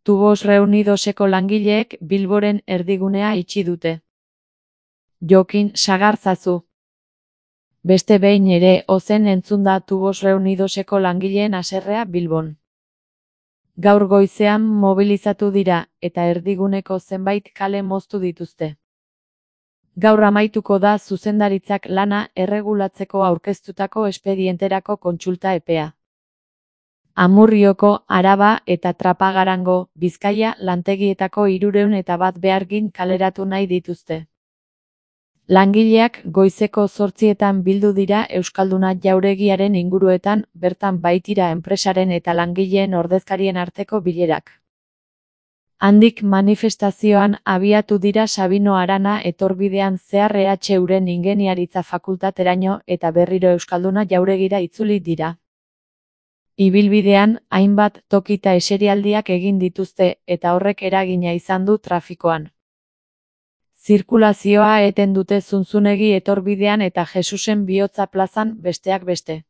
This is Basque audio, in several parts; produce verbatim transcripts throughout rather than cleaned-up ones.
Tubos Reunidoseko langileek Bilboren erdigunea itxi dute. Jokin sagartzazu. Beste behin ere ozen entzun da Tubos Reunidoseko langileen haserrea Bilbon. Gaur goizean mobilizatu dira eta erdiguneko zenbait kale moztu dituzte. Gaur amaituko da zuzendaritzak lana erregulatzeko aurkeztutako espedienterako kontsulta epea. Amurrioko, Araba eta Trapagarango, Bizkaia lantegietako hirurehun eta bat behargin kaleratu nahi dituzte. Langileak goizeko zortzietan bildu dira Euskalduna jauregiaren inguruetan, bertan baitira enpresaren eta langileen ordezkarien arteko bilerak. Handik manifestazioan abiatu dira Sabino Arana etorbidean zehar E H Uren ingeniaritza fakultateraino eta berriro Euskalduna jauregira itzuli dira. Ibilbidean, hainbat tokita eserialdiak egin dituzte eta horrek eragina izan du trafikoan. Zirkulazioa eten dute Zunzunegi etorbidean eta Jesusen Bihotza plazan besteak beste.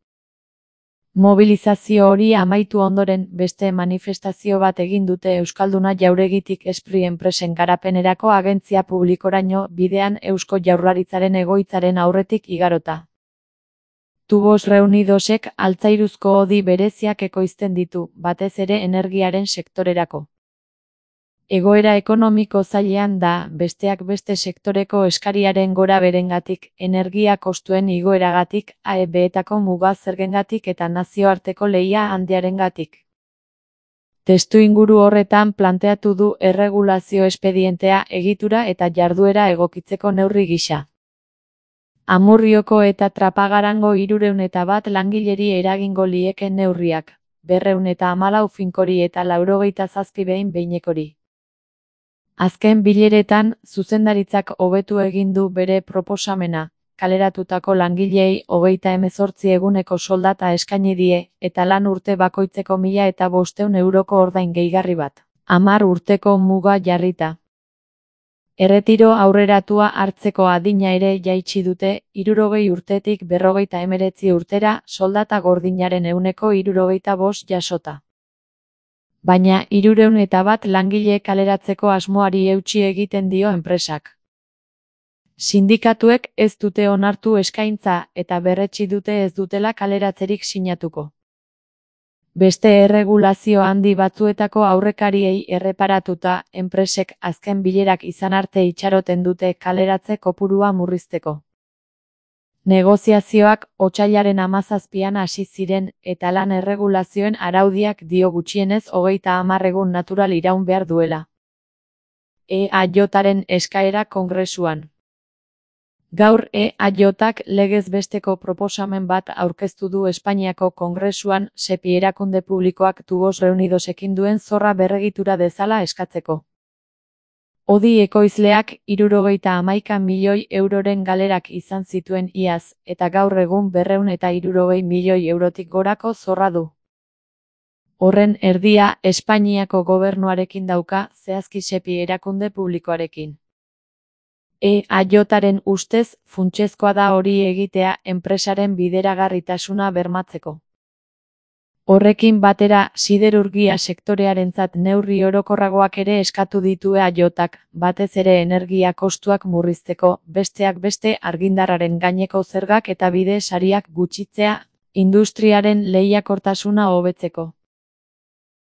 Mobilizazio hori amaitu ondoren beste manifestazio bat egin dute Euskalduna jauregitik Espri enpresen garapenerako agentzia publikoraino bidean Eusko Jaurlaritzaren egoitzaren aurretik igarota. Tubos Reunidosek altzairuzko hodi bereziak ekoizten ditu, batez ere energiaren sektorerako. Egoera ekonomiko zailean da, besteak beste sektoreko eskariaren gora berengatik, energia kostuen igoeragatik, A E B-etako muga zergengatik eta nazioarteko lehia handiarengatik. Testuinguru horretan planteatu du erregulazio espedientea egitura eta jarduera egokitzeko neurri gisa. Amurrioko eta Trapagarango hirurehun eta bat langileri eragingo lieken neurriak, berrehun eta hamalau finkori eta laurogeita zazpi behin behinekori. Azken bileretan, zuzendaritzak hobetu egin du bere proposamena, kaleratutako langileei hogeita hemezortzi eguneko soldata eskaini die, eta lan urte bakoitzeko mila eta bostehun euroko ordain gehigarri bat. Hamar urteko muga jarrita. Erretiro aurreratua hartzeko adina ere jaitsi dute, hirurogei urtetik berrogeita hemeretzi urtera, soldata gordinaren ehuneko hirurogeita bost jasota. Baina hirurehun eta bat langile kaleratzeko asmoari eutsi egiten dio enpresak. Sindikatuek ez dute onartu eskaintza eta berretsi dute ez dutela kaleratzerik sinatuko. Beste erregulazio handi batzuetako aurrekariei erreparatuta, enpresek azken bilerak izan arte itxaroten dute kaleratze kopurua murrizteko. Negoziazioak otsailaren hamazazpian hasi ziren eta lan erregulazioen araudiak dio gutxienez hogeita hamar egun natural iraun behar duela. E A Jaren eskaera Kongresuan. Gaur E A Jak legez besteko proposamen bat aurkeztu du Espainiako Kongresuan Sepi erakunde publikoak Tubos Reunidosekin duen zorra berregitura dezala eskatzeko. Hodi ekoizleak hirurogeita hamaika milioi euroren galerak izan zituen iaz, eta gaur egun berrehun eta hirurogei milioi eurotik gorako zorra du. Horren erdia Espainiako gobernuarekin dauka, zehazki Sepi erakunde publikoarekin. E A Jaren ustez, funtsezkoa da hori egitea enpresaren bideragarritasuna bermatzeko. Horrekin batera, siderurgia sektorearentzat neurri orokorragoak ere eskatu ditu E A Jak, batez ere energia kostuak murrizteko, besteak beste argindarraren gaineko zergak eta bide sariak gutxitzea, industriaren lehiakortasuna hobetzeko.